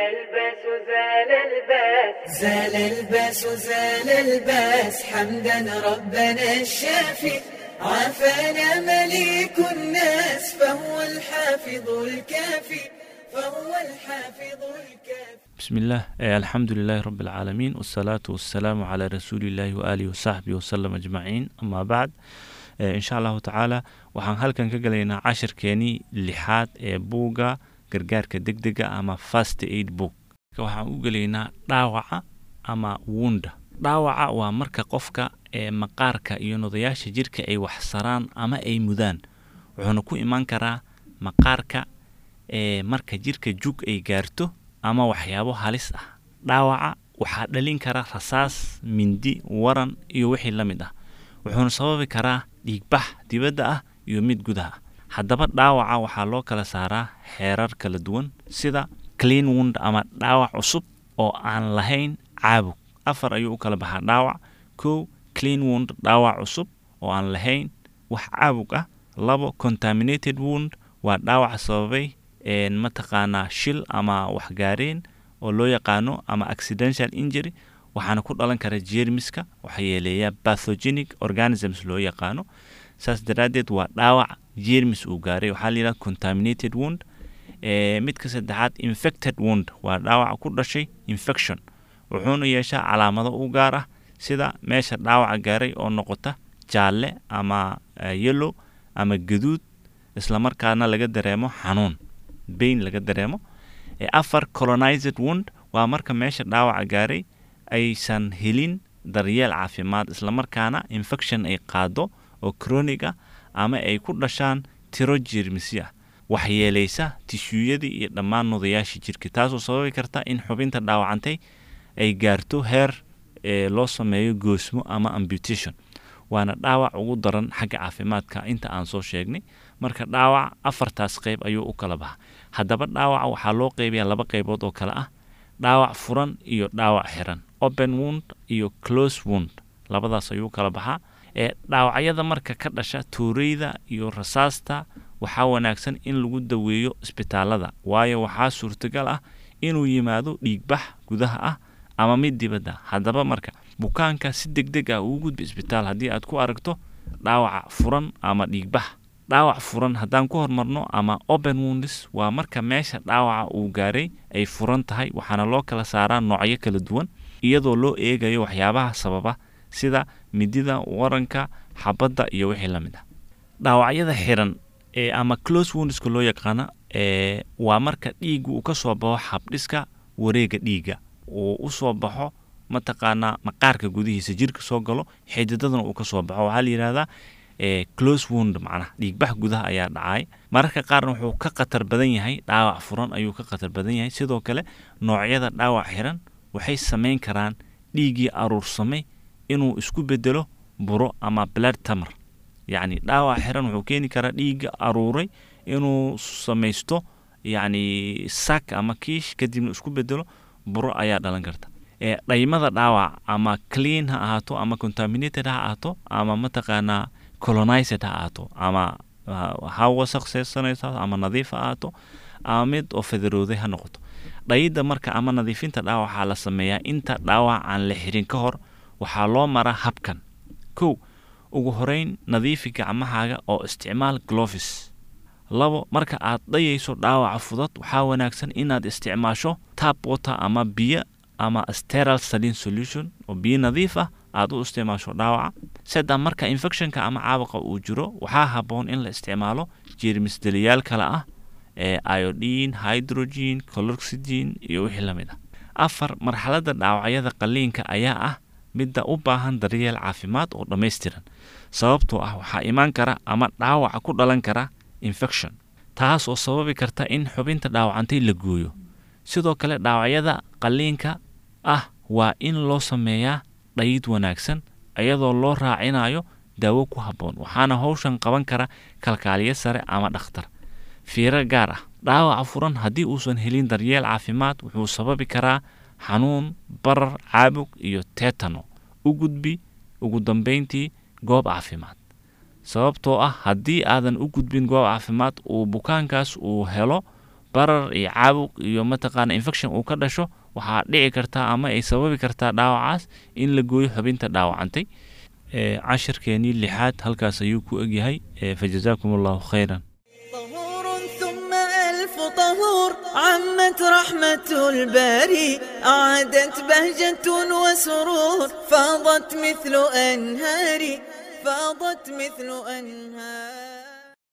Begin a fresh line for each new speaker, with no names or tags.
الباس، زال الباس،
زال الباس، زال الباس، حمدا ربنا الشافي، عافانا مليك الناس، فهو الحافظ الكافي، فهو الحافظ الكافي.
بسم الله، الحمد لله رب العالمين، والصلاة والسلام على رسول الله وآله وصحبه وسلم أجمعين، أما بعد. إن شاء الله تعالى waxaan halkan ka galaynaa cashirkeenii lixaad ee buugga gargaarka degdega ama first aid book. Waxaan u gelaynaa dhaawaca ama wounda. Dhaawaca waa marka qofka ee maqaarka iyo nodayaasha jirka ay wax saraan ama ay mudaan, wuxuuna ku imaan karaa maqaarka ee marka jirka jug ay gaarto ama waxyaabo halis ah. Dhaawaca waxaa dhalin kara rasaas, mindi, waran iyo wixii la mid ah, wuxuuna sababi karaa dhiigbax dibadda ah iyo mid gudaha ah. Haddaba dhaawaca waxaa loo kala saaraa xeerar kala duwan, sida clean wound ama dhaawac cusub oo aan lahayn caabug. Afar ayuu u kala baxaa dhaawac. Kow, clean wound, dhaawac cusub oo aan lahayn wax caabug ah. Labo, contaminated wound, waa dhaawac sababay mataqaanaa shil ama waxgaareen oo loo yaqaano ama accidental injury, waxaana ku dhalan kara jeermiska waxyeeleeya, pathogenic organisms loo yaqaano. Saas daraaddeed waa dhaawac jeermis uu gaaray, waxaa la yidhaha contaminated wound. Midka saddexaad, infected wound, waa dhaawac ku dhashay infection, wuxuuna yeeshaa calaamado u gaar ah, sida meesha dhaawaca gaaray oo noqota jaalle ama yellow ama gaduud, islamarkaana laga dareemo xanuun, pain laga dareemo. Afar, colonized wound, waa marka meesha dhaawaca gaaray aysan helin daryeel caafimaad, islamarkaana infection ay qaado oo chronic ah ama ay ku dhashaan tiro jeermisyo ah waxyeelaysa tishuuyadii iyo dhammaan nudayaashii jirka, taasoo sababi karta in xubinta dhaawacantay ay gaarto heer loo sameeyo goosmo ama amputation, waana dhaawac ugu daran xagga caafimaadka inta aan soo sheegnay. Marka dhaawac afartaas qeyb ayuu u kala baxa. Haddaba dhaawaca waxaa loo qeybayaa laba qeybood oo kale ah: dhaawac furan iyo dhaawac xiran, open wound iyo close wound, labadaas ayuu kala baxaa. Dhaawacyada marka ka dhasha tuureyda iyo rasaasta waxaa wanaagsan in lagu daweeyo isbitaalada, waayo waxaa suurtagal ah inuu yimaado dhiigbax gudaha ah ama mid dibadda. Haddaba marka bukaanka si degdeg ah ugu gudbi isbitaal haddii aad ku aragto dhaawaca furan ama dhiigbax. Dhaawac furan haddaan ku hormarno ama open wounds, waa marka meesha dhaawaca uu gaaray ay furan tahay, waxaana loo kala saaraa noocyo kala duwan iyadoo loo eegayo waxyaabaha sababa, sida midida, waranka, xabadda iyo wixii la mid ah. Dhaawacyada xiran ee ama close woundska loo yaqaana waa marka dhiiggu uu ka soo baxo habdhiska wareega dhiigga, uu usoo baxo mataqaanaa maqaarka gudihiisa, jirka soo galo, xididadana uu ka soo baxo, waxaa la yidhahdaa close wound. Macnaha dhiigbax gudaha ayaa dhacay. Mararka qaarna wuxuu ka khatar badan yahay dhaawac furan ayuu ka khatar badan yahay. Sidoo kale noocyada dhaawac xiran waxay samayn karaan dhiiggii aruursamay inuu isku bedelo buro ama blood tumor. Yacni dhaawac xiran wuxuu keeni karaa dhiigga aruuray inuu samaysto yacni sac ama kiish, kadibna isku bedelo buro ayaa dhalan karta. Dhaymada dhaawac ama clean ha ahaato ama contaminated ha ahaato ama mataqaanaa colonized ha ahaato ama ha wasaqseysanaysa ama nadiif ha ahaato ama mid oo federooday ha noqoto, dhayidda marka ama nadiifinta dhaawaca la sameeyaa inta dhaawac aan la xirin ka hor. Waxaa loo maraa habkan: kow, ugu horeyn nadiifi gacmahaaga oo isticmaal gloves. Labo, marka aad dhayayso dhaawaca fudud waxaa wanaagsan inaad isticmaasho tap water ama biyo ama sterile saline solution oo biyo nadiif ah aad u isticmaasho dhaawaca. Saddex, marka infectionka ama caabuqa uu jiro waxaa habboon in la isticmaalo jeermis deliyaal kale ah ee iodine, hydrogen, chloroxidine iyo wixii la mid ah. Afar, marxaladda dhaawacyada qalliinka ayaa ah midda u baahan daryeel caafimaad oo dhammaystiran, sababtoo ah waxaa imaan kara ama dhaawaca ku dhalan kara infection, taas oo sababi karta in xubinta dhaawacantay la gooyo. Sidoo kale dhaawacyada qalliinka ah waa in loo sameeyaa dhayid wanaagsan iyadoo loo raacinayo daawo ku habboon, waxaana howshan qaban kara kalkaaliye sare ama dhakhtar. Fiiro gaar ah: dhaawaca furan haddii uusan helin daryeel caafimaad wuxuu sababi karaa xanuun, barar, caabug iyo tetano. U gudbi ugu dambeyntii goob caafimaad, sababtoo ah haddii aadan u gudbin goob caafimaad uu bukaankaas uu helo Barar iyo caabuq iyo mataqaana infection uu ka dhasho, waxaa dhici kartaa ama ay sababi kartaa dhaawacaas in la gooyo xubinta dhaawacantay. Cashirkeenii lixaad halkaas ayuu ku egyahay. Fajazaakum Allahu khayran.
طهور ثم ألف طهور، عمت رحمة الباري، أعادت بهجة وسرور، فاضت مثل أنهاري، فاضت مثل أنهار.